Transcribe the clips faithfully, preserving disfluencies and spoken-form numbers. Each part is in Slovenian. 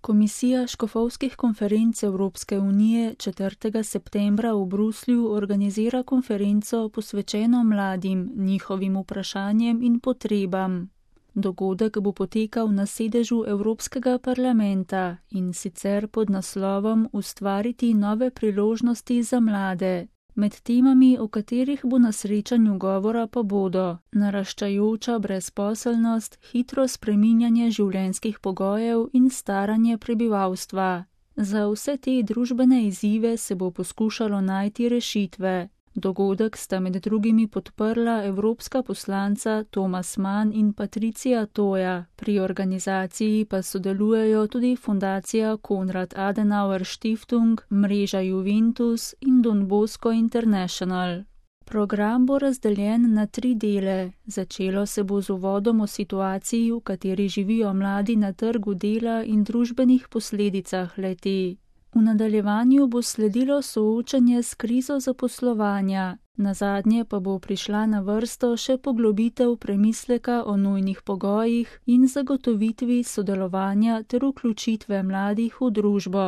Komisija škofovskih konferenc Evropske unije četrtega septembra v Bruslju organizira konferenco posvečeno mladim, njihovim vprašanjem in potrebam. Dogodek bo potekal na sedežu Evropskega parlamenta in sicer pod naslovom Ustvariti nove priložnosti za mlade. Med temami, o katerih bo na srečanju govora, pa bodo naraščajoča brezposelnost, hitro spreminjanje življenjskih pogojev in staranje prebivalstva. Za vse te družbene izzive se bo poskušalo najti rešitve. Dogodek sta med drugimi podprla evropska poslanca Thomas Mann in Patricia Toja, pri organizaciji pa sodelujejo tudi fundacija Konrad Adenauer Stiftung, mreža Juventus in Don Bosco International. Program bo razdeljen na tri dele. Začelo se bo z uvodom o situaciji, v kateri živijo mladi na trgu dela in družbenih posledicah le-te. V nadaljevanju bo sledilo soočanje s krizo zaposlovanja, nazadnje pa bo prišla na vrsto še poglobitev premisleka o nujnih pogojih in zagotovitvi sodelovanja ter vključitve mladih v družbo.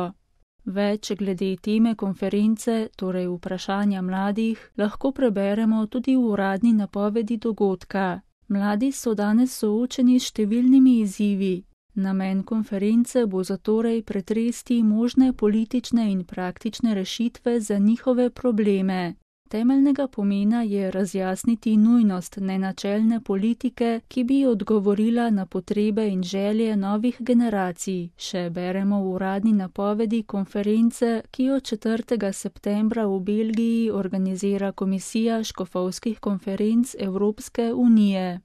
Več glede teme konference, torej vprašanja mladih, lahko preberemo tudi v uradni napovedi dogodka. Mladi so danes soočeni s številnimi izzivi. Namen konference bo zatorej pretresti možne politične in praktične rešitve za njihove probleme. Temeljnega pomena je razjasniti nujnost nenačelne politike, ki bi odgovorila na potrebe in želje novih generacij, še beremo v uradni napovedi konference, ki jo četrtega septembra v Belgiji organizira Komisija škofovskih konferenc Evropske unije.